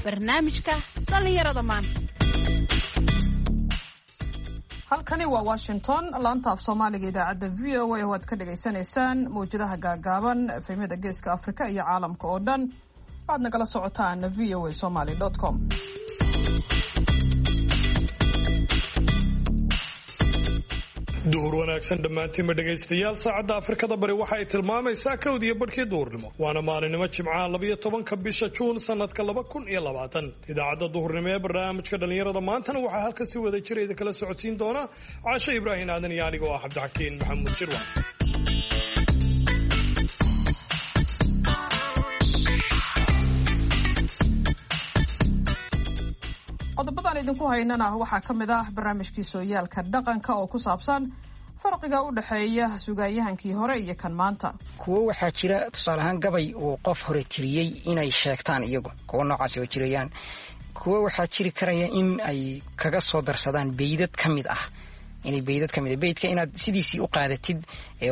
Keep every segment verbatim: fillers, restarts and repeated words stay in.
Barnaamijka dhallinyarada maanta. Halkani waa Washington, laanta af Soomaaliga, idaacadda V O A oo aad ka dhagaysanaysaan mawjadaha gaagaaban, F M-yada Geeska Afrika iyo caalamka oo dhan waxaad nagala socotaan V O A Somaly com. Duhur wanaagsan dhammaantiinba, dhegaystayaal. Saacadda Afrikada Bari waxa ay tilmaamaysaa kowd iyo barhkii duhurnimo, waana maalinimo Jimcaha, labiyo tobanka bisha Juun, sanadka laba kun iyo labaatan. Idaacadda duhurnimo ee barnaamijka dhallinyarada maantana waxaa halka si wada jira idin kala socodsiin doona Caasho Ibraahim Aadan iyo anigoo ah Cabdixakiin Maxamuud Shirwa. Qodobadaan idinku haynana waxaa ka mid ah barnaamijkii sooyaalka dhaqanka oo ku saabsan farqiga u dhexeeya sugaanyahankii hore iyo kan maanta. Kuwo waxaa jira, tusaale ahaan, gabay uu qof hore tiriyey inay sheegtaan iyagu, kuwo noocaasi oo jirayaan. Kuwo waxaa jiri karaya in ay kaga soo darsadaan beydad ka mid ah, inay beydad ka mid ah. Beydka inaad sidiisii u qaadatid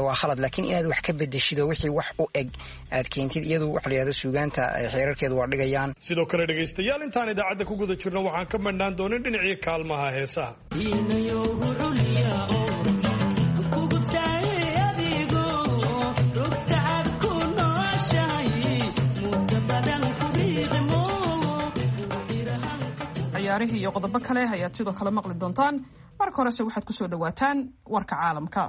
waa khalad, laakiin inaad wax ka bedeshid oo wixii wax u eg aad keentid, iyadu waxa la yidhahdo suugaanta xeerarkeedu waa dhigayaan. Sidoo kale, dhegaystayaal, intaan idaacadda ku guda jirno waxaan ka madhnaan doonin dhinacii kaalmaha heesaha. Ciyaarihii iyo qodobo kale ayaad sidoo kale maqli doontaan. Marka horese waxaad ku soo dhowaataan warka caalamka.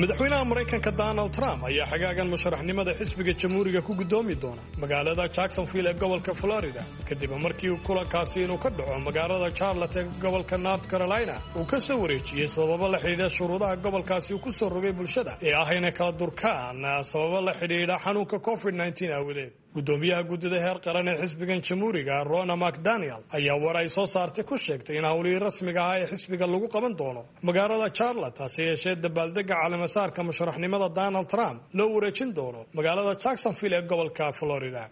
Madaxweynaha Maraykanka Donald Trump ayaa xagaagan musharaxnimada xisbiga Jamhuuriga ku guddoomi doona magaalada Jacksonville ee gobolka Florida, kadib markii kulankaasi inuu ka dhaco magaalada Charlotte ee gobolka North Carolina uu ka soo wareejiyey, sababo la xidhiidha shuruudaha gobolkaasi uu ku soo rogay bulshada ee ah inay kala durkaan, sababo la xidhiidha xanuunka covid aawadeed. Guddoomiyaha guddida heer qaran ee xisbigan Jamhuuriga, Rona McDaniel, ayaa war ay soo saartay ku sheegtay in howlihii rasmiga ah ee xisbiga lagu qaban doono magaalada Charlotte, hase yeeshee dabaaldega caleemasaarka musharaxnimada Donald Trump loo wareejin doono magaalada Jacksonville ee gobolka Florida.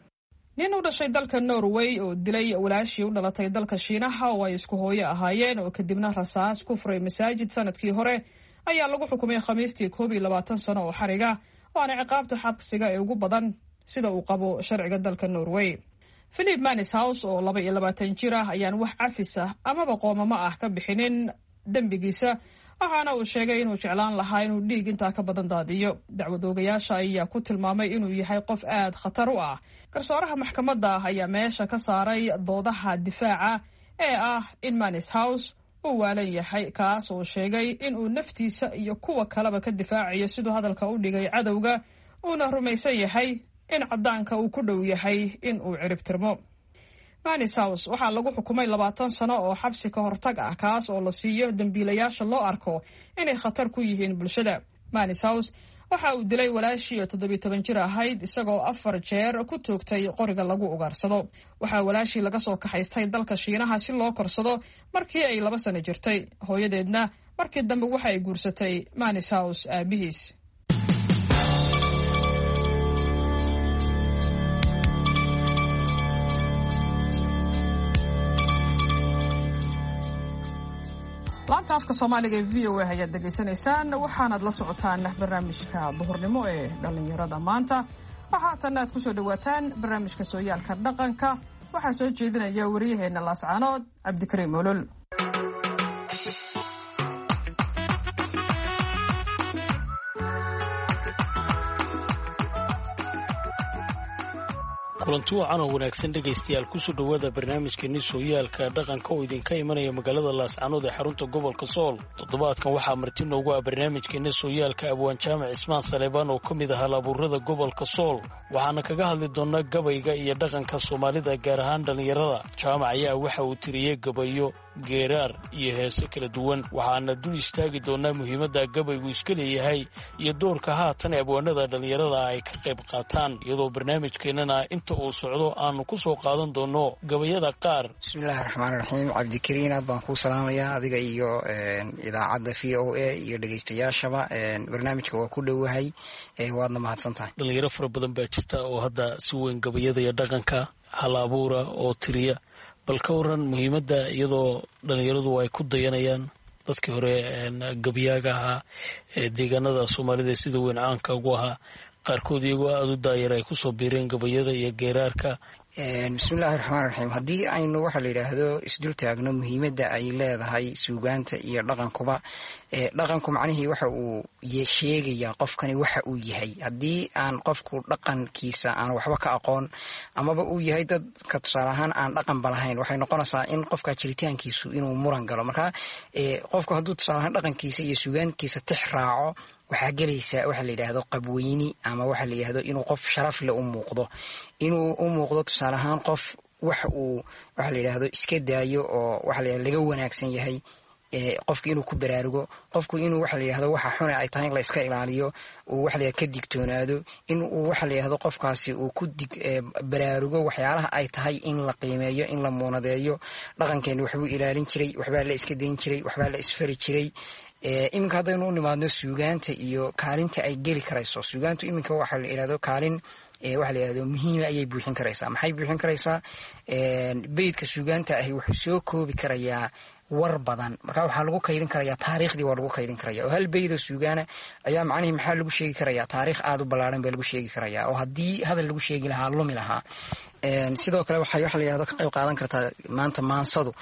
Nin u dhashay dalka Norway oo dilay walaashii u dhalatay dalka Shiinaha oo ay isku hooyo ahaayeen, oo kadibna rasaas ku furay masaajid sanadkii hore, ayaa lagu xukumay Khamiistii koob iyo labaatan sano oo xariga, waana ciqaabta xabsiga ee ugu badan sida uu qabo sharciga dalka Norway. Philip Manishaus oo laba iyo labaatan jir ah ayaan wax cafis ah amaba qoomamo ah ka bixinin dembigiisa, waxaana uu sheegay inuu jeclaan lahaa inuu dhiig intaa ka badan daadiyo. Dacwad oogayaasha ayaa ku tilmaamay inuu yahay qof aad khatar u ah. Garsooraha maxkamadda ayaa meesha ka saaray doodaha difaaca ee ah in Manishaus uu waalan yahay, kaas oo sheegay inuu naftiisa iyo kuwa kaleba ka difaacayo, siduu hadalka u dhigay, cadowga, uuna rumaysan yahay in caddaanka uu ku dhow yahay in uu ciribtirmo. Manishaus waxaa lagu xukumay labaatan sano oo xabsi ka hortag ah, kaas oo la siiyo dembiilayaasha loo arko inay khatar ku yihiin bulshada. Manishaus waxa uu dilay walaashii oo toddobiyo toban jir ahayd, isagoo afar jeer ku toogtay qoriga lagu ugaarsado. Waxaa walaashii laga soo kaxaystay dalka Shiinaha si loo korsado markii ay laba sano jirtay. Hooyadeedna markii dambe waxa ay guursatay Manishaus aabihiis. Laanta afka Soomaaliga ee V O A ayaad dhegaysanaysaan, waxaanaad la socotaan barnaamijka duhurnimo ee dhallinyarada maanta. Waxaa aad kusoo dhawaataan barnaamijka sooyaalka dhaqanka. Waxaa soo jeedinaya wariyaheena Laascaanood, Cabdikariim Olol. Kulanti wacan oo wanaagsan, dhegaystayaal. Kusoo dhowaada barnaamijkeeni sooyaalka dhaqanka oo idinka imanaya magaalada Laascanood ee xarunta gobolka Sool. Toddobaadkan waxaa marti noogu ah barnaamijkeeni sooyaalka Abwaan Jaamac Cismaan Saleebaan oo ka mid ah halabuurada gobolka Sool, waxaana kaga hadli doonaa gabayga iyo dhaqanka Soomaalida, gaar ahaan dhallinyarada. Jaamac ayaa waxa uu tiriyey gabayo, geeraar iyo heese kala duwan, waxaana dul istaagi doonaa muhiimadda gabaygu iska leeyahay iyo doorka haatan abwaanada dhallinyarada ay ka qayb qaataan, iyadoo barnaamijkeennana inta uu socdo aanu ku soo qaadan doono gabayada qaar. Bismillahi raxmaan raxiim. Cabdikariin, aad baan kuu salaamayaa adiga iyo idaacadda V O A iyo dhegeystayaashaba. Barnaamijka waa ku dhowahay, waadna mahadsan tahay. Dhalinyaro fara badan baa jirta oo hadda si weyn gabayada iyo dhaqanka hal abuura oo tiriya. Bal ka waran muhiimadda, iyadoo dhalinyaradu ay ku dayanayaan Dadkii hore gabyaaga ahaa ee deegaanada Soomaalida sida weyn caanka ugu ahaa, qaarkood iyagoo aada u daayar ay kusoo biireen gabayada iyo geeraarka. Bismillahi raxmaan raxiim. Haddii aynu waxaa la yidhaahdo isdul taagno muhiimadda ay leedahay suugaanta iyo dhaqankuba, dhaqanku macnihii waxa uu sheegayaa qofkani waxa uu yahay. Haddii aan qofku dhaqankiisa aan waxba ka aqoon, amaba uu yahay dadka tusaale ahaan aan dhaqanba lahayn, waxay noqonaysaa in qofka jiritaankiisu inuu muran galo. Marka qofku hadduu tusaale ahaan dhaqankiisa iyo suugaankiisa tix raaco, waxaa gelaysa waxa la yidhaahdo qabweyni, ama waxa la yidhaahdo inuu qof sharaf leh u muuqdo, inuu u muuqdo tusaale ahaan qof wax uu waxa la yidhaahdo iska daayo oo waxa la yidhahdo laga wanaagsan yahay, qofku inuu ku baraarugo, qofku inuu waxa la yidhahdo waxa xune ay tahay in la iska ilaaliyo, uu waxa la yidhahdo ka digtoonaado, in uu waxa la yidhahdo qofkaasi uu ku dig baraarugo waxyaalaha ay tahay in la qiimeeyo, in la muunadeeyo. Dhaqankeeni waxbuu ilaalin jiray, waxbaa la iska dayn jiray, waxbaa la isfari jiray. Iminka haddaynu u nimaadno suugaanta iyo kaalinta ay geli karayso suugaantu, iminka waxa la yidhahdo kaalin waxa la yidhahdo muhiima ayay buuxin karaysaa. Maxay buuxin karaysaa? Beydka suugaanta ahi wuxuu soo koobi karayaa war badan. Marka waxaa lagu kaydin karayaa taariikhdii, waa lagu kaydin karaya, oo hal beydoo suugaana ayaa macnihii maxaa lagu sheegi karayaa? Taariikh aada u ballaaran baa lagu sheegi karayaa, oo haddii hadal lagu sheegi lahaa lumi lahaa. Sidoo kale waxay waxa la yidhahdo ka qayb qaadan kartaa maanta maansadu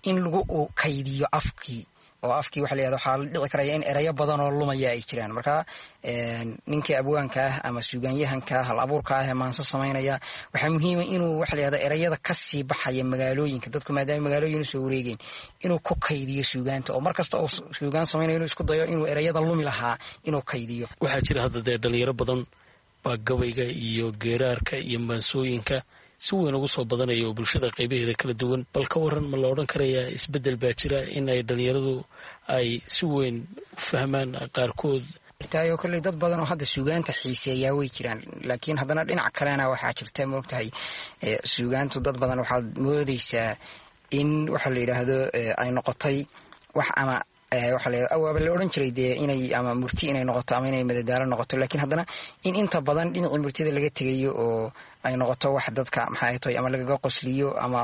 in lagu kaydiyo afkii, oo afkii waxa la yihahdo waxaa la dhici karaya in erayo badan oo lumaya ay jiraan. Marka ninkii abwaanka ah ama suugaanyahanka hal abuurka ah ee maanso samaynaya, waxaa muhiima inuu waxa la yihahdo erayada kasii baxaya magaalooyinka dadku, maadaama magaalooyin usoo wareegeen, inuu ku kaydiyo suugaanta, oo mar kasta oo suugaan samaynayo inuu isku dayo inuu erayada lumi lahaa inuu kaydiyo. Waxaa jira hadda dee dhalinyaro badan baa gabayga iyo geeraarka iyo maansooyinka si weyn ugu soo badanaya oo bulshada qaybaheeda kala duwan. Bal ka waran, ma la odhan karayaa isbeddel baa jira in ay dhalinyaradu ay si weyn u fahmaan qaarkood? Tayo kolley dad badan oo hadda suugaanta xiiseeyaa way jiraan, laakiin haddana dhinac kalena waxaa jirta, moogtahay, suugaantu dad badan waxaad moodeysaa in waxa la yidhaahdo ay noqotay wax ama waxa la waaba la odhan jiray dee inay ama murti inay noqoto ama inay madadaalo noqoto, laakiin haddana in inta badan dhinacii murtida laga tegayo oo ay noqoto wax dadka maxay tahay ama lagaga qosliyo ama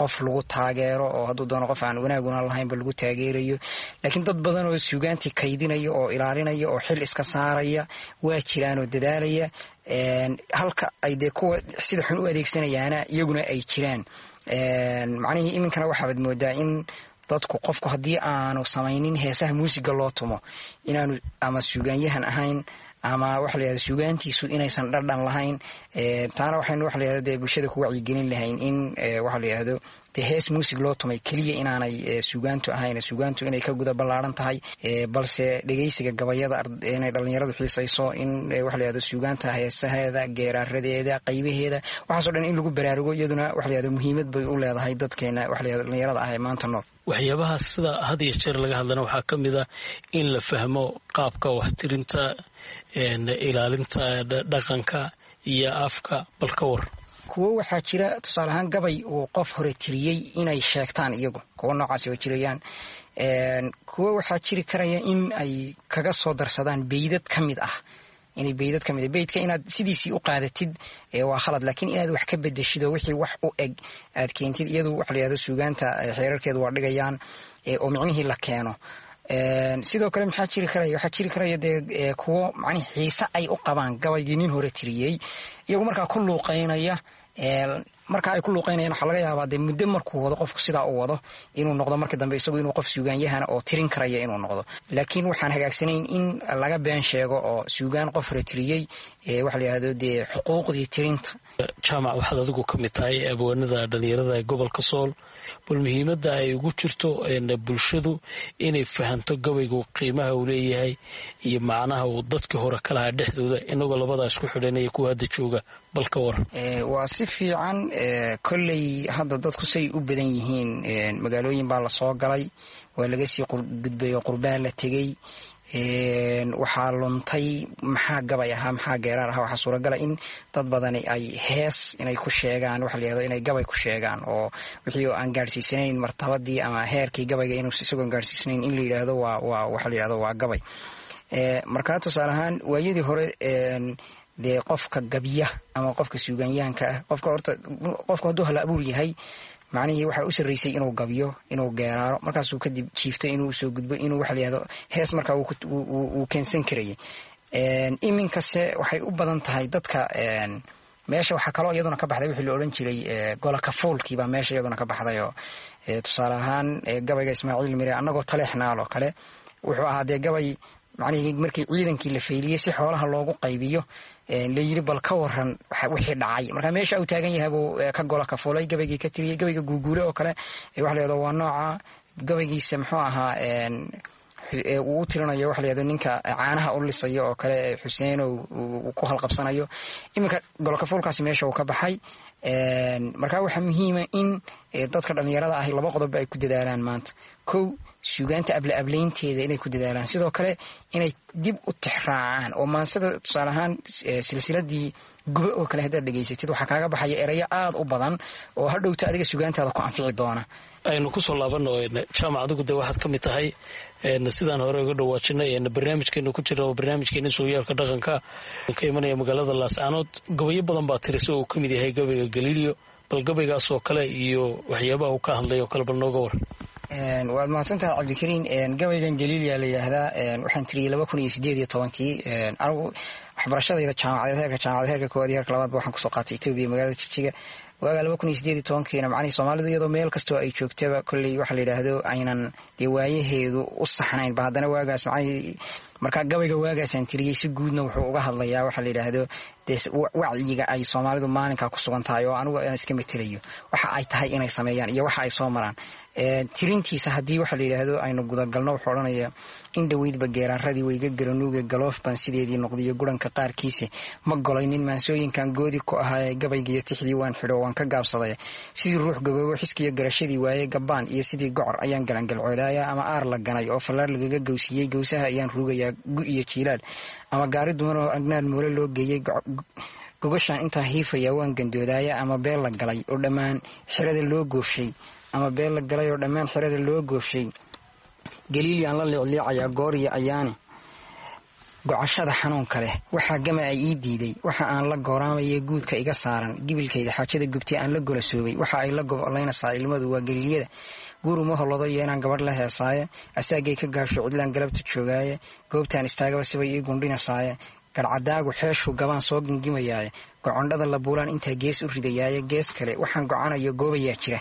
qof lagu taageero, oo hadduu doono qof aan wanaaguna lahaynba lagu taageerayo. Laakiin dad badan oo suugaantii kaydinaya oo ilaalinaya oo xil iska saaraya waa jiraan oo dadaalaya, halka ay dee kuwa sida xun u adeegsanayaana iyaguna ay jiraan. Macnihii iminkana waxaabaad moodaa in dadku qofku haddii aanu samaynin heesaha muusiga loo tumo inaanu ama suugaanyahan ahayn ama waxa la yihahdo suugaantiisu inaysan dhadhan lahayn. Taana waxaynu waxa la yihahdo dee bulshada ku wacyigelin lahayn in waxa la yihahdo dee hees muusig loo tumay keliya inaanay suugaantu ahayn, suugaantu inay ka guda ballaaran tahay, balse dhegeysiga gabayada inay dhalinyaradu xiisayso, in waxa la yihahdo suugaanta heesaheeda, geeraaradeeda, qaybaheeda, waxaaso dhan in lagu baraarugo, iyaduna waxa la yihahdo muhiimad bay u leedahay dadkeena waxa la yihahdo dhalinyarada ah ee maanta nool. Waxyaabaha sida had iyo jeer laga hadlana waxaa ka mid ah in la fahmo qaabka waxtirinta, ilaalinta dhaqanka iyo afka. Bal ka war. Kuwo waxaa jira tusaale ahaan gabay uu qof hore tiriyey inay sheegtaan iyagu, kuwo noocaasi oo jirayaan. Kuwo waxaa jiri karaya in ay kaga soo darsadaan beydad ka mid ah, inay beydad ka mid ah beydka inaad sidiisii u qaadatid waa khalad, laakiin inaad wax ka bedeshid oo wixii wax u eg aad keentid, iyadu waxa la yihahdo suugaanta xeerarkeedu waa dhigayaan oo micnihii la keeno. Sidoo kale maxaa jiri karaya? Waxaa jiri karaya dee kuwo macnihi xiise ay u qabaan gabaygii nin hore tiriyey, iyagu markaa ku luuqeynaya. Marka ay ku luuqeynayaan waxaa laga yaabaa dee muddo markuu wado qofku sidaa u wado inuu noqdo marka dambe isagu inuu qof suugaanyahana oo tirin karaya inuu noqdo. Laakiin waxaan hagaagsanayn in laga been sheego oo suugaan qof hore tiriyey waxa la yihahdo dee xuquuqdii tirinta. Jaamac, waxaad adigu ka mid tahay abwaanada dhalinyarada gobolka Sool. Bal muhiimadda ay ugu jirto bulshadu inay fahanto gabaygu qiimaha uu leeyahay iyo macnaha uu dadkii hore ka lahaa dhexdooda, inagoo labadaa isku xidhanaya kuwa hadda jooga, bal ka waran. Waa si fiican. Kolley hadda dadku say u badan yihiin, magaalooyin baa lasoo galay, waa laga sii gudbay oo qurbaa la tegey, waxaa luntay maxaa gabay ahaa, maxaa geeraar ahaa. Waxaa suuragala in dad badani ay hees inay ku sheegaan waxa la yihahdo inay gabay ku sheegaan, oo wixii oo aan gaadhsiisanayn martabadii ama heerkii gabayga inuu isagoon gaadhsiisanayn in la yidhaahdo waa waa waxa la yihahdo waa gabay. Markaa tusaale ahaan waayadii hore dee qofka gabya ama qofka suugaanyahanka ah, qofka horta qofku hadduu hal abuur yahay Macnihii waxaa u sarreysay inuu gabyo, inuu geeraaro, markaasuu kadib jiiftay inuu soo gudbo inuu waxa la yihahdo hees, markaa wuu keensan karayay. Iminkase waxay u badan tahay dadka meesha. Waxaa kaloo iyaduna ka baxday wixii la odhan jiray gola kafuulkii baa meesha iyaduna ka baxday. Oo tusaale ahaan gabayga Ismaaciil Mire "Annagoo Taleexnaal" oo kale wuxuu ahaa dee gabay macnihii markii ciidankii la fayliyey si xoolaha loogu qaybiyo layiri bal ka waran wixii dhacay. Marka meesha uu taagan yahay buu ka gola kafuulay, gabaygii ka tiriyey. Gabayga Guuguule oo kale waxa la yahdo waa nooca gabaygiisa, muxuu ahaa, uu u tirinayo waxa la yahdo ninka caanaha u lisayo oo kale, Xuseenow, uu ku halqabsanayo. Iminka golokafuulkaasi meesha uu ka baxay. Marka waxaa muhiima in dadka dhallinyarada ahi laba qodob ay ku dadaalaan maanta: kow, suugaanta able ablaynteeda inay ku dadaalaan, sidoo kale inay dib u tixraacaan oo maansada, tusaale ahaan silsiladii Gube oo kale haddaad dhegaysatid, waxaa kaaga baxaya erayo aada u badan oo hadhowto adiga suugaantaada ku anfici doona. Aynu kusoo laabano, Jaamac, adigu dee waxaad ka mid tahay, sidaan hore uga dhawaajinay, barnaamijkeenu ku jira oo barnaamijkeena Sooyaalka Dhaqanka ka imanaya magaalada Laascaanood. Gabayo badan baa tiri, si uu ka mid yahay gabayga Galiilyo. Bal gabaygaas oo kale iyo waxyaabaha uu ka hadlay oo kale bal nooga war. Waad mahadsan tahay, Cabdikariin. Gabaygan Galiilya la yidhaahdaa, waxaan tiriyey laba kun iyo sideed iyo tobankii. Anigu waxbarashadayda jaamacadeed, heerka jaamacadeed, heerka koowaad iyo heerka labaadba waxaan kusoo qaatay Etoobiya, magaalada Jijiga. Waagaa laba kun iyo sideed iyo tobankiina macnihii Soomaalidu iyadoo meel kastoo ay joogtaba kolley waxa la yidhaahdo aynan dee waayaheedu u saxnayn ba, haddana waagaas macnihii markaa gabayga waagaasaan tiriyey si guudna wuxuu uga hadlayaa waxa la yidhaahdo dee wacyiga ay Soomaalidu maalinkaa ku sugan tahay, oo anigu aan iska metelayo waxa ay tahay inay sameeyaan iyo waxa ay soo maraan. Tirintiisa haddii waxa la yidhaahdo aynu gudagalno, wuxuu odhanaya: "In dhoweydba geeraaradii wayga garanuuga, galoof baan sideedii noqdiyo guranka qaarkiisa, ma golaynin maansooyinkan goodi ku ahaaye, gabaygiiyo tixdii waan xidho, waan ka gaabsaday, sidii ruux gaboobo xiskiyo garashadii waaye, gabbaan iyo sidii gocor ayaan galangalcoodaaya, ama aar la ganay oo fallaar lagaga gowsiiyey, gowsaha ayaan ruugayaa gu iyo jiilaal, ama gaari duman oo agnaar moole loo geeyey, gogashaan intaa hiifaya waan gandoodaaya, ama beel la galay oo dhammaan xerada loo goofshay, ama beel la galay oo dhammaan xerada loo goofshay, Galiilyaan la liicliicayaa goor iyo ayaane, gocashada xanuunka leh waxaa gama ay ii diiday, waxa aan la gooraamaya guudka iga saaran, gibilkayga xaajada gubtay aan la golasoobay, waxa ay la gobolaynaysaa ilmadu waa Galiilyada, guuruma holodo iyo inaan gabadh la heesaaye, asaagay ka gaabsho cidlaan galabta joogaaye, goobtaan istaagaba sibay ii gundhinasaaye, garhcadaagu xeeshuu gabaan soo gingimayaaye, gocondhada la buulaan intaa gees u ridayaaye, gees kale waxaan gocanayo goobayaa jira,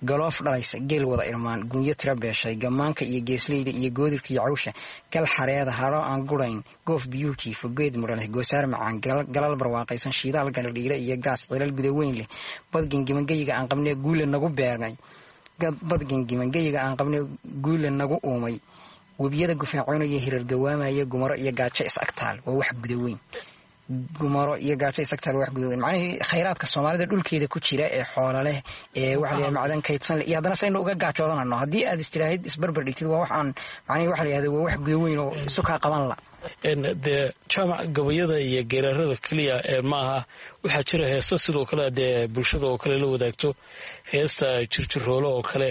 galoof dhalaysa geel wada irmaan, gunyo tira beeshay, gammaanka iyo geesleyda iyo goodirka iyo cawsha, gal xareeda haro aan gurayn, goof biyuhu jiifo, geed mudha leh, goosaar macaan, galal barwaaqaysan, shiidaal gandhadhiire iyo gaas, cilal gudaweyn leh, bad gingimangeyiga aan qabnee guule nagu beernay, bad gingimangeyiga aan qabnee guule nagu uumay, webiyada gufaacoonaya, hirar gawaamaya, gumaro iyo gaajo is agtaal waa wax gudaweyn, gumaro iyo gaajo is agtaal waa wax gudaweyn." Macnihii khayraadka Soomaalida dhulkeeda ku jira ee xoola leh ee waxa la yidhahda macdan kaydsan leh, iyo haddana saynu uga gaajoodanano, haddii aad istiraahid isbarbar dhigtid, waa wax aan macnihii waxa la yihahda waa wax gudaweyn oo isu kaa qaban la. Dee Jaamac, gabayada iyo geeraarada keliya ee maaha, waxaa jira heesta sidoo kale dee bulshada oo kale la wadaagto, heesta Jirjiroolo oo kale.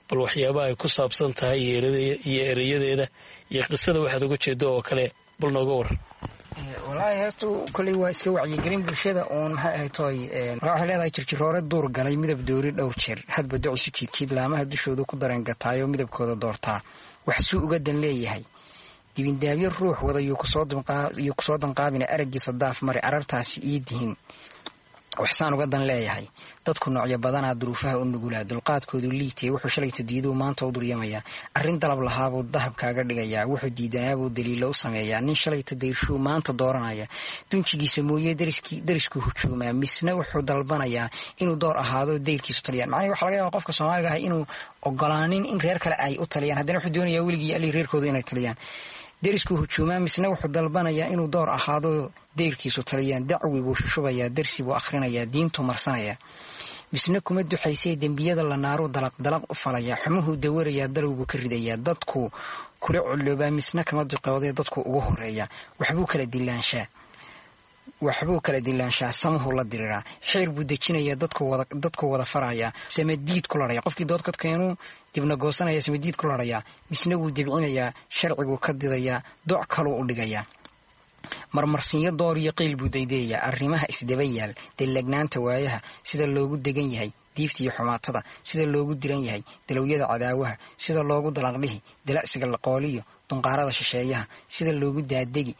Bal waxyaabaha ay ku saabsan tahay iyo ereyadeeda iyo qisada waxaad uga jeedo oo kale bal nooga war. Wallaahi heestu kolley waa iska wacyigelin bulshada uun. Maxay ahayd toy, markaa waxay leedahay: "Jirjiroore duur galay, midab doori dhowr jeer, hadba docisu jiidjiid, laamaha dushoodu ku dareen gataayo, midabkooda doortaa, wax suu uga dan leeyahay, dibindaabyo ruux wada yuu kusoo danqaabina, araggiisa daaf mari, arartaasi ii dihin, waxsaan uga dan leeyahay, dadku noocyo badanaa, duruufaha u nugulaa, dulqaadkoodu liitay, wuxuu shalayta diiduu maanta u duryamayaa, arrin dalab lahaabuu dahab kaaga dhigayaa, wuxuu diidanaabuu daliilo u sameeyaa, nin shalayta dayshuu maanta dooranaya, dunjigiisa mooye dariskuu hujuumaa, misna wuxuu dalbanayaa inuu door ahaado dayrkiisu taliyaan." Macnihi waxa laga yaaba qofka Soomaaliga ah inuu ogolaanin in reer kale ay u taliyaan, haddana wuxuu doonayaa weligii alii reerkoodu inay taliyaan. "Deriskuu hujuumaa, misna wuxuu dalbanayaa inuu door ahaado dayrkiisu taliyaan, dacwi buu shushubayaa, darsi buu akhrinayaa, diintuu marsanayaa, misna kuma duxaysee, dembiyada la naaruu dalaq dalaq u falayaa, xumuhuu dawarayaa, dalowbuu ka ridayaa, dadku kula colloobaa, misna kama duqoodee, dadku ugu horeeyaa, waxbuu kala dilaanshaa, waxbuu kala dilaanshaa, samuhuu la diriraa, xeer buu dejinayaa, dadku wada farayaa, samadiid ku larhaya, qofkii doodkadkeenuu dibna goosanaya, samadiid ku larhayaa, misna wuu debcinayaa, sharciguu ka didayaa, doc kaluu u dhigayaa, marmarsinyo door iyo qiil buu daydayayaa, arrimaha isdaba yaal, dallagnaanta waayaha, sida loogu degan yahay, Diifta iyo xumaatada sida loogu diran yahay, dalowyada cadaawaha sida loogu dalaqdhihi, dala'siga laqooliyo dunqaarada shisheeyaha sida loogu daadegi,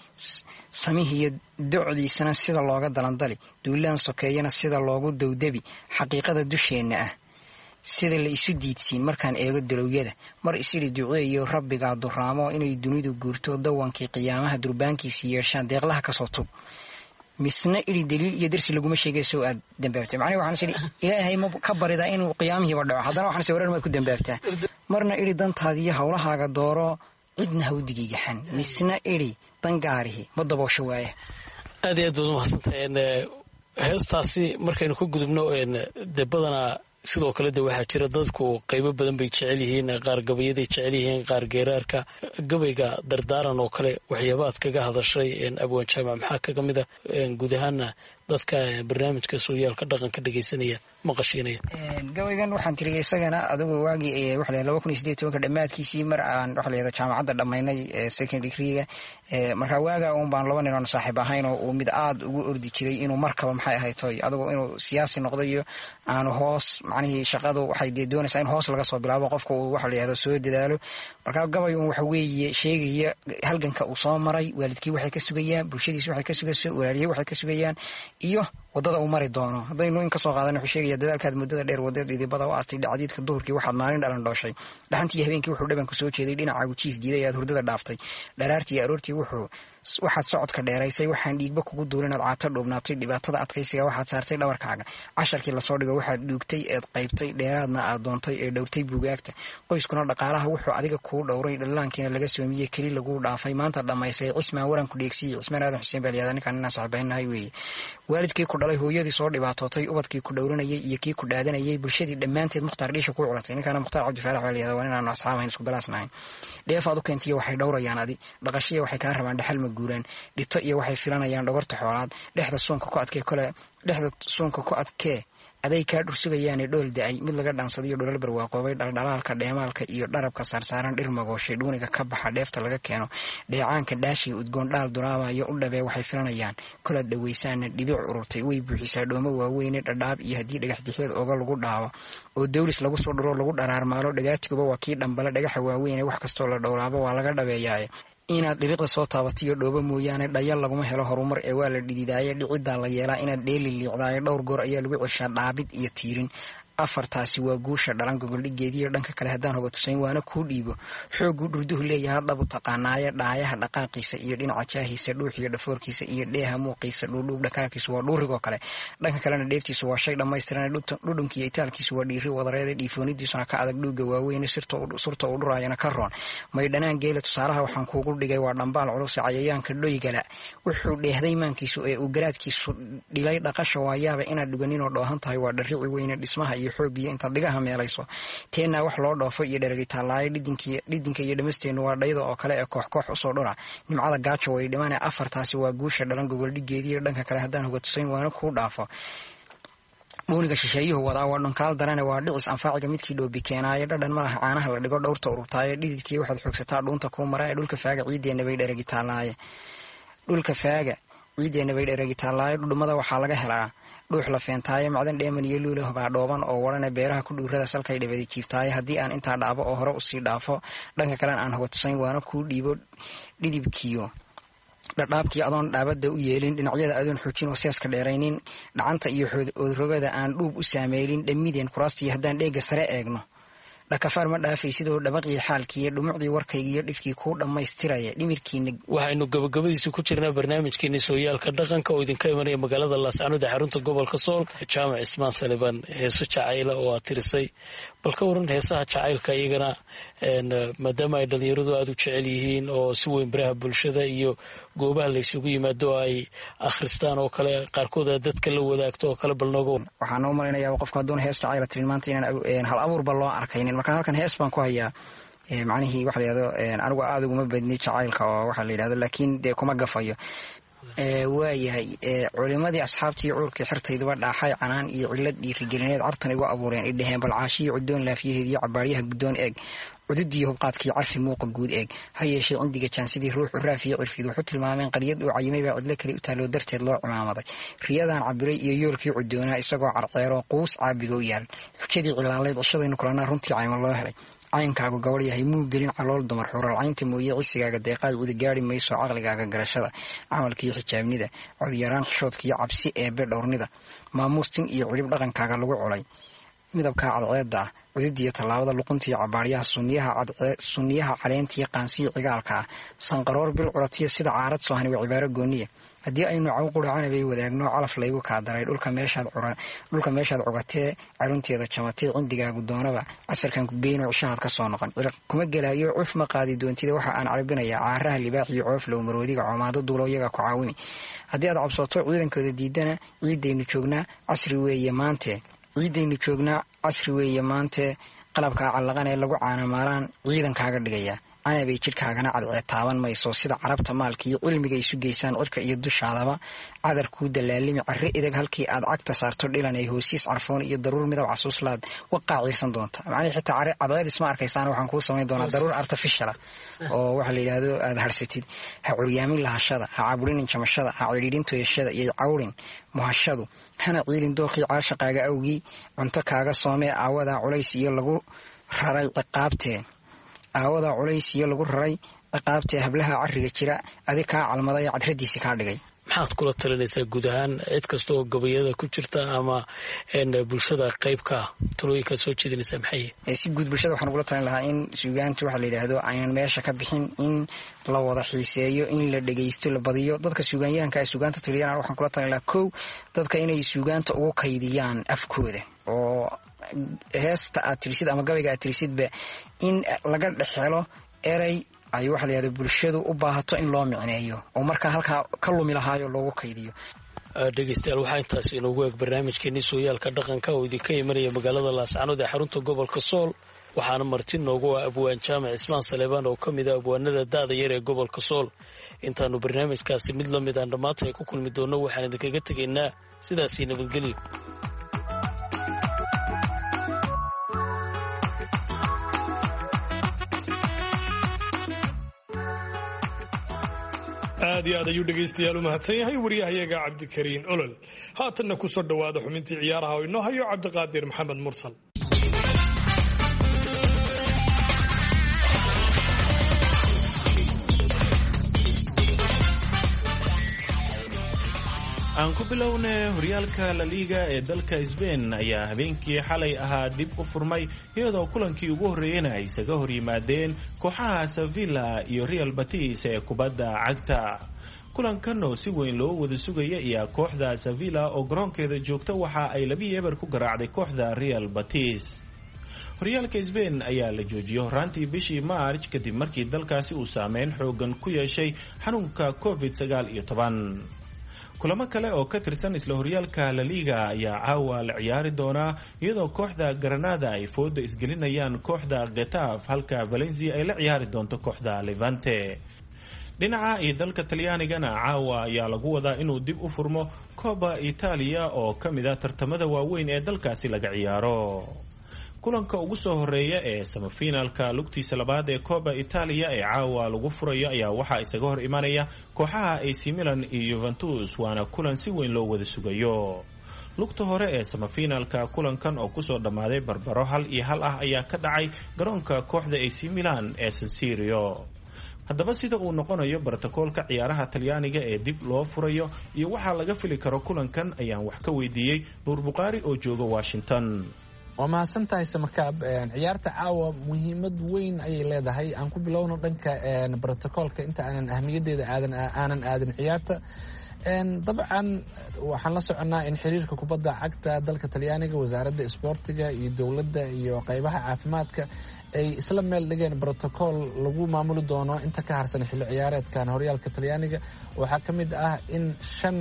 samihiiyo docdiisana sida looga dalandali, duulaan sokeeyana sida loogu dowdabi, xaqiiqada dusheenna ah sida la isu diidsiin markaan eego dalowyada. Mar isidhi duceeyo rabbigaa duraamo inay dunidu guurto, dawankii qiyaamaha durbaankiisi yeeshaan, deeqlaha kasoo tug. Misna idhi daliil iyo darsi laguma sheegay sow aad dambaabtay. Macnihi waxaan is idhi Ilaahay ma ka baridaa inuu qiyaamihiiba dhaco, haddana waxaan is warar maad ku dambaabtaa. Marna idhi dantaadiiyo howlahaaga dooro, cidna hawdigiigaxan. Misna idhi dangaarihi ma daboosho waaya. Aad iyo aad baad umahadsantahay. Heestaasi markaynu ka gudubno, dee badanaa sidoo kale de waxaa jira dadku qaybo badan bay jecel yihiin, qaar gabayaday jecel yihiin, qaar geeraarka, gabayga dardaaran oo kale. Waxyaabaad kaga hadashay, abwaan Jaamac, maxaa kaga mid a guud ahaana dadka barnaamijka sooyaalka dhaqanka dhegeysanaya maqashiinaya? Gabaygan waxaan tiriyay isagana adigu waagii waxa la laba kun iyo sideed tobanka dhammaadkiisii, mar aan waxa la yihahdo jaamacadda dhammaynay second degreega. Marka waagaa uun baan laba nin oon saaxiib ahayn oo uu mid aada ugu ordi jiray inuu markaba maxay ahayd toy adigu inuu siyaasi noqdo iyo aanu hoos, macnihii shaqadu waxay dee doonaysaa in hoos laga soo bilaabo, qofka uu waxa la yihahdo soo dadaalo. Marka gabay uun waxa weeye sheegaya halganka uu soo maray, waalidkii waxay ka sugayaan, bulshadiisi waxay ka sugayso, walaalihii waxay ka sugayaan, iyo wadada uu mari doono. Haddaynu in kasoo qaadana, wuxuu sheegaya: dadaalkaad muddada dheer wadeed, dhidibada u aastay, dhacdiidka duhurkii waxaad maalin dhalan dhooshay, dhaxantii habeenkii wuxuu dhabanku soo jeeday, dhinacaagu jiif diiday aad hurdada dhaaftay, dharaartii aroortii wuxuu waxaad socodka dheeraysay, waxaan dhiigba kugu duulin aad caato dhuubnaatay, dhibaatada adkaysiga waxaad saartay dhabarkaaga, casharkii lasoo dhigo waxaad dhuugtay eed qaybtay, dheeraadna aad doontay ee dhowrtay buugaagta, qoyskuna dhaqaalaha wuxuu adiga kuu dhowray, dhallaankiina laga soomiyey keli laguu dhaafay, maanta dhammaysay Cismaan waranku dheegsiiyey. Cismaan Aadan Xuseen baa layihahdaa ninkaan, inaan saxiibaynahay weeye. Waalidkii ku dhalay, hooyadii soo dhibaatootay, ubadkii ku dhowranayay iyo kii ku dhaadanayay, bulshadii dhammaanteed Mukhtaar dhiisha kuu culatay. Ninkaana Mukhtaar Cabdi Faarax baa layihahdaa, waa inaanu asxaab ahayn, isku galaasnahayn. Dheefaad u keentiyo waxay dhowrayaan adi, dhaqashiya waxay kaa rabaan dhexal ma guuraan, dhito iyo waxay filanayaan dhogorta xoolaad, dhexda suunka ku adkee kole, dhexda suunka ku adkee aday kaa dhursugayaane dhool da-ay mid laga dhaansadayo, dholal barwaaqoobay, dhaldhalaalka dheemaalka iyo dharabka saarsaaran, dhir magooshay dhuuniga ka baxa, dheefta laga keeno dheecaanka, dhaashiga udgoon, dhaal duraabayo u dhabee waxay filanayaan kolaad dhawaysaana, dhibic ururtay way buuxisaa dhoomo waaweyne, dhadhaab iyo haddii dhagax dixeed ooga lagu dhaawo oo dawlis lagu soo dhuro lagu dharaarmaalo, dhagaatiguba waa kii dhambale dhagaxa waaweyne, wax kastoo la dhowraabo waa laga dhabeeyaaye, inaad dhiriqda soo taabatiyo dhoobo mooyaane dhayal laguma helo horumar ee waa la dhididaaye, dhiciddaa la yeelaa inaad dheeli liicdaaye, dhowr goor ayaa lagu ceshaa dhaabid iyo tiirin. Afartaasi waa guusha dhalan gogoldhigeediyo. Dhanka kale haddaan hoga tusayn waana kuu dhiibo, xoogguu dhurduhu leeyaha dhabu taqaanaaye, dhaayaha dhaqaaqiisa iyo dhinaca jaahiisa, dhuuxiyo dhafoorkiisa iyo dheeha muuqiisa, dhuudhuub dhakaarkiisu waa dhuurigoo kale, dhanka kalena dheeftiisu waa shay dhammaystiran, dhudhunkiiyo itaalkiisu waa dhiiri wadareeda, dhiifoonidiisuna ka adag dhuuga waaweyne, surta uu dhuraayana ka roon maydhanaan geela. Tusaalaha waxaan kuugu dhigay waa dhambaal culuse cayayaanka dhoygala wuxuu dheehday maankiisu ee uu garaadkiisu dhilay, dhaqasha waayaaba inaad dhuganinoo dhoohan tahay waa dharici weyne, dhismaha iyo xoogiyo intaad dhigaha meelayso teenaa wax loo dhoofo iyo dheragitaalaayo, dhidinka iyo dhamasteennu waa dhayda oo kale ee koox koox usoo dhura, nimcada gaajo way dhimane. Afartaasi waa guusha dhalan gogoldhigeediiyo. Dhanka kale haddaan hoga tusayn waana kuu dhaafo, dhuuniga shisheeyuhu wadaa waa dhunkaal darane, waa dhicis anfaaciga midkii dhoobi keenaayo, dhadhan malaha caanaha la dhigo dhowrta ururtaayo, dhididkii waxaad xoogsataa dhuunta kuu mara ee dhulka faaga ciideenna bay dheragitaalaaye, dhulka faaga ciideenna bay dheragitaalaayo, dhudhumada waxaa laga helaa dhuux la feentaayo, macdan dheeman iyo luula hobaa dhooban oo warane, beeraha ku dhuurada salkay dhabadi jiiftaayo. Haddii aan intaa dhaabo oo hore usii dhaafo, dhanka kalena aan hoga tusayn waana kuu dhiibo, dhidibkiyo dhadhaabkii adoon dhaabada u yeelin, dhinacyada adoon xoojin oo seeska dheeraynin, dhacanta iyo oodrogada aan dhuub u saameelin, dhammideen kuraastii haddaan dheega sare eegno, dhakafaar ma dhaafay sidoo dhabaqii xaalkiiyo dhumucdii warkaygiiyo dhifkii kuu dhammaystiraya dhimirkiina. Waxaynu gabagabadiisa ku jirnaa barnaamijkeeni sooyaalka dhaqanka oo idinka imanaya magaalada Laascanood ee xarunta gobolka Sool. Jaamac Cismaan Saliban, heeso jacayla oo aad tirisay, bal ka waran heesaha jacaylka iyagana, maadaama ay dhalinyaradu aada u jecel yihiin oo si weyn baraha bulshada iyo goobaha laysugu yimaado ay akhristaan oo kale, qaarkood aad dadka la wadaagto oo kale, bal nooga. Waxaan noo malaynayaa qofka hadduuna hees jacayla tirin maanta inaan hal abuurba loo arkaynin. Marka halkan hees baan ku hayaa. Macnihii waxa la yihahdo anigu aada uguma badni jacaylka oo waxa la yidhahdo, laakiin dee kuma gafayo. Waayahay, culimadii asxaabtii cuurkii xirtayduba dhaaxay canaan iyo cillad dhiirigelineed cartan igu abuureen, idhaheen balcaashiyi cudoon laafiyaheed iyo cabaaryaha guddoon eeg, Cududiyo hubqaadkii carfi muuqa guud eeg. Ha yeeshee cindiga jaansidii ruuxu raafiyo cirfiid wuxuu tilmaameen qaryad uu cayimay baa cidlo kale u taaloo darteed loo cimaamaday. Riyadan cabiray iyo yoolkii cudoonaa isagoo carceeroo quus caabiga u yaal. Xujadii cilaalayd cishadaynu kulanaa runtii cayma loo helay. Caynkaagu gabadh yahay muu gelin calool dumar xuralcaynta mooye cisigaaga deeqaay cidi gaari mayso caqligaaga garashada camalkiiyo xijaabnida codyaraan xishoodkiiyo cabsi eebe dhowrnida maamuustin iyo cilib dhaqankaaga lagu colay midabkaa cadceedda ah cududiyo tallaabada luquntiiyo cabaaryaha sunniyaha caleentiyo qaansiyo cigaalka ah sanqaroor bil curatiyo sida caarad soohani waa cibaaro gooniya. Haddii aynu caw quracanabay wadaagno calaf laygu kaa daray dhulka meeshaad cugatee carunteeda jamatay cindigaagu doonaba casarkan ku geyno cishahaad ka soo noqon. Ciriq kuma gelaayo cuf ma qaadi doontida waxa aan carabinayaa caaraha libaaxiyo cooflow maroodiga coomaado duulo iyagaa ku caawimi. Haddii aad cabsooto ciidankooda diidana ciidaynu joognaa casri weeye maante ciidaynu joognaa casri weeye maante qalabkaa callaqan ee lagu caanamaalaan ciidankaaga dhigaya. Canabay jidhkaagana cadceed taaban mayso sida carabta maalka iyo cilmiga isu geysaan cirka iyo dushaadaba cadar kuu dalaalimi carre idag halkii aad cagta saarto dhilan ay hoosiis carfoon iyo daruur midab casuuslaad waqaa ciirsan doonta. Macnihii xitaa cadceed isma arkaysaan waxaan kuu samayn doonaa daruur artificiala oo waxa la yidhaahdo aada harsatid. Ha curyaamin lahashada, ha caburinin jamashada, ha cidhiidhin toyashada iyo cawrin muhashadu, hana ciilin dooqii caashaqaaga awgii cunto kaaga soomee aawadaa culays iyo lagu raray ciqaabtee aawadaa culays iyo lagu raray ciqaabtee hablaha cariga jira adi kaa calmaday cadradiisi kaa dhigay. Maxaad kula talinaysaa guud ahaan cid kasta oo gabayada ku jirta ama bulshada qaybka talooyinkaad soo jeedinaysaa maxay? Si guud bulshada waxaan ugula talin lahaa in suugaantu waxa la yidhaahdo aynan meesha ka bixin, in la wada xiiseeyo, in la dhegeysto, la badiyo. Dadka suugaanyahanka ay suugaanta taliyaan waxaan kula talin lahaa kow, dadka inay suugaanta ugu kaydiyaan afkooda oo heesta aad tirisid ama gabayga aad tirisidba in laga dhex helo erey ay waxa la yidhahdo bulshadu u baahato in loo micneeyo oo markaa halkaa ka lumi lahaayo loogu kaydiyo. Dhegeystayaal, waxaa intaas inoogu eeg barnaamijkeenii sooyaalka dhaqanka oo idinka imanaya magaalada Laascanood ee xarunta gobolka Sool. Waxaana marti noogu ah abwaan Jaamac Cismaan Saleebaan oo ka mid ah abwaanada da'da yar ee gobolka Sool. Intaanu barnaamijkaasi mid la mid aan dhammaanta ay ku kulmi doonno waxaan idinkaga tegaynaa sidaasii nabadgelyo. Aad iyo aad ayuu dhegaystayaal u mahadsan yahay wariyahayaga Cabdikariin Olol. Haatanna ku soo dhowaada xubintii ciyaaraha oo inoo hayo Cabdiqaadir Maxamed Mursal. Aan ku bilowne horyaalka La Liga ee dalka Spain ayaa habeenkii xalay ahaa dib u furmay, iyadoo kulankii ugu horreeyena ay isaga hor yimaadeen kooxaha Sevilla iyo Real Betis ee kubadda cagta. Kulankan oo si weyn loo wada sugaya ayaa kooxda Sevilla oo garoonkeeda joogta waxa ay labi eber ku garaacday kooxda Real Betis. Horyaalka Spain ayaa la joojiyey horaantii bishii March kadib markii dalkaasi uu saameyn xoogan ku yeeshay xanuunka covid sagaal iyo toban. Kulamo kale oo ka tirsan isla horyaalka La Liga ayaa caawa la ciyaari doonaa, iyadoo kooxda Granada ay fooda isgelinayaan kooxda Getafe, halka Valencia ay la ciyaari doonto kooxda Levante. Dhinaca iyo dalka Talyaanigana caawa ayaa lagu wadaa inuu dib u furmo Copa Italia oo ka mid ah tartamada waaweyn ee dalkaasi laga ciyaaro. Kulanka ugu soo horeeya ee semifinalka lugtiisa labaad ee Copa Italia ee caawa lagu furayo ayaa waxaa isaga hor imanaya kooxaha A C Milan iyo Juventus, waana kulan si weyn loo wada sugayo. Lugta hore ee semifinalka kulankan oo kusoo dhammaaday barbaro hal iyo hal ah ayaa ka dhacay garoonka kooxda A C Milan ee San Siro. Haddaba sida uu noqonayo brotokoolka ciyaaraha Talyaaniga ee dib loo furayo iyo waxaa laga fili karo kulankan ayaan wax ka weydiiyey Nuur Bukhaari oo jooga Washington. Waa mahadsan tahay Samakaab. Ciyaarta caawa muhiimad weyn ayay leedahay. Aan ku bilowno dhanka brotocoolka inta aanan ahmiyaddeeda aadan aanan aadin ciyaarta. Dabcan waxaan la soconnaa in xiriirka kubadda cagta dalka Talyaaniga, wasaaradda isboortiga iyo dowladda iyo qeybaha caafimaadka ay isla meel dhigeen brotocool lagu maamuli doono inta ka harsan xilli ciyaareedkan horyaalka Talyaaniga. Waxaa ka mid ah in shan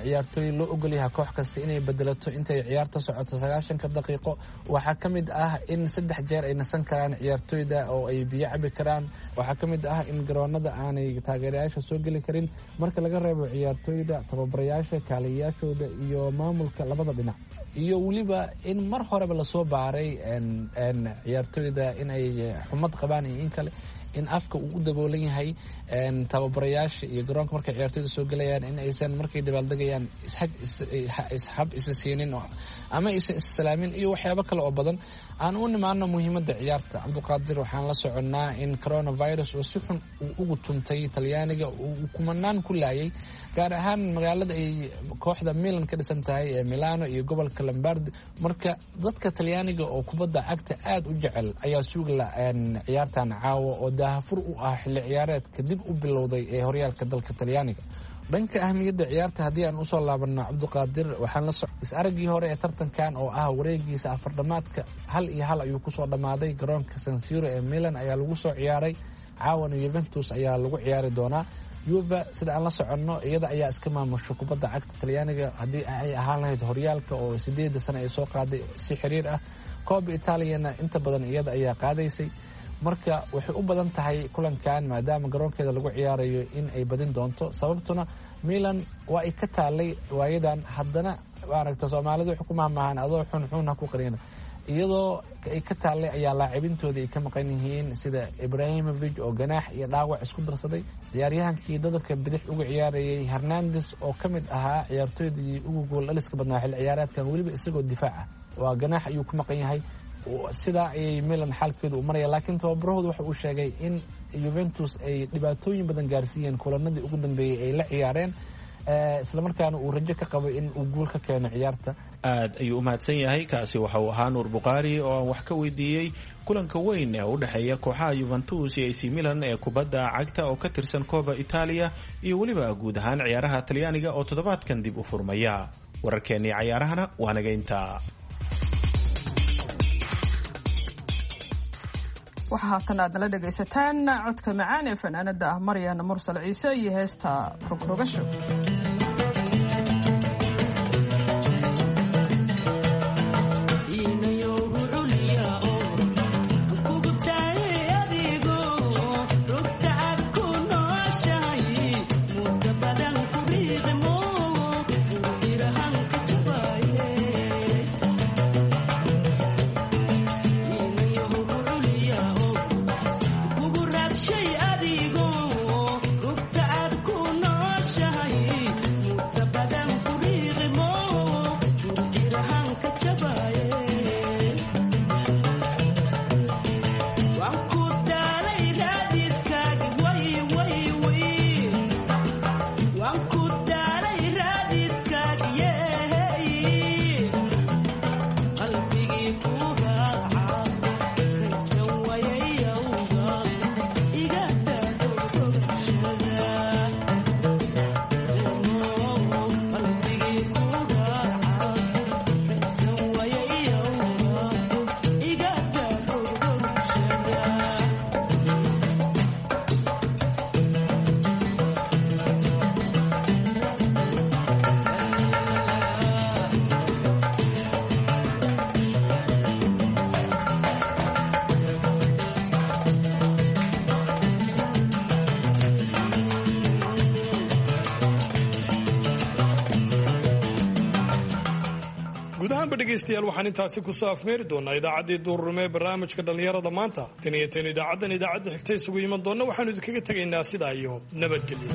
ciyaartooy loo ogolyahay koox kasta inay bedelato intay ciyaarta socoto sagaashanka daqiiqo. Waxaa ka mid ah in saddex jeer ay nasan karaan ciyaartooyda oo ay biyo cabi karaan. Waxaa ka mid ah in garoonada aanay taageerayaasha soo geli karin marka laga reebo ciyaartooy ciyaartooyda, tababarayaasha, kaaliyayaashooda iyo maamulka labada dhinac, iyo weliba in mar horeba lasoo baaray ciyaartooyda in ay xumad qabaan iyo in kale, in afka uu u daboolan yahay tababarayaasha iyo garoonka markay ciyaartooyda soo gelayaan, in aysan markay dabaaldegayaan ishab isa siinin ama aysan issalaamin iyo waxyaabo kale oo badan. Aan u nimaano muhiimadda ciyaarta, Cabduqaadir, waxaan la soconnaa in coronavirus oo si xun uu ugu tuntay Talyaaniga, uu kumanaan ku laayay, gaar ahaan magaalada ay kooxda Milan ka dhisan tahay ee Milano iyo gobolka Lombardi. Marka dadka Talyaaniga oo kubadda cagta aada u jecel ayaa suugla ciyaartan caawa oo daahafur u ah xilli ciyaareedka dib u bilowday ee horyaalka dalka Talyaaniga. Dhanka ahmiyadda ciyaarta haddii aan usoo laabano, Cabduqaadir, waxaan la soc is-araggii hore ee tartankan oo ah wareegiisa afardhamaadka hal iyo hal ayuu kusoo dhammaaday. Garoonka Sansiro ee Milan ayaa lagu soo ciyaaray, caawana Yuventus ayaa lagu ciyaari doonaa. Yuva sida aan la soconno iyada ayaa iska maamusho kubadda cagta Talyaaniga, haddii ay ahaan lahayd horyaalka oo sideeda sano ay soo qaaday si xiriir ah, Kooba Italiana inta badan iyada ayaa qaadaysay. Marka waxay u badan tahay kulankan maadaama garoonkeeda lagu ciyaarayo in ay badin doonto, sababtuna Milan waa ay ka taalay waayadan. Haddana maaragta Soomaalidu waxay ku mahmahaan adoo xun xun ha ku qarina, iyadoo ay ka taallay ayaa laacibintooda ay ka maqan yihiin, sida Ibrahimovic oo ganaax iyo dhaawac isku darsaday, ciyaaryahankii dadabka bidix uga ciyaarayay Hernandes oo ka mid ahaa ciyaartooydii ugu gool dhaliska badnaa xilli ciyaareedkan, weliba isagoo difaac ah, waa ganaax ayuu ku maqan yahay. Sidaa ayay Milan xaalkeedu u maraya, laakiin tababarahooda waxa uu sheegay in Yuventus ay dhibaatooyin badan gaarsiiyeen kulanadii ugu dambeeyey ay la ciyaareen, islamarkaana uu rajo ka qabo in uu guul ka keeno ciyaarta. Aad ayuu u mahadsan yahay. Kaasi waxa uu ahaa Nuur Bukhaari oo aan wax ka weydiiyey kulanka weyn ee u dhexeeya kooxaha Yuventus iyo A C Milan ee kubadda cagta oo ka tirsan Kooba Itaaliya iyo weliba guud ahaan ciyaaraha Talyaaniga oo toddobaadkan dib u furmaya. Wararkeennii cayaarahana waa naga intaa. Waxaa haatan aad nala dhegaysataan codka macaan ee fanaanada ah Maryan Mursal Ciise iyo heesta Rogrogasho. Dhegeystayaal, waxaan intaasi kusoo afmeeri doonaa idaacaddii duururme ee barnaamijka dhallinyarada maanta. Tan iyo tan idaacaddan idaacadda xigta isugu iman doonna, waxaanu idinkaga tegaynaa sidaa iyo nabadgelyo.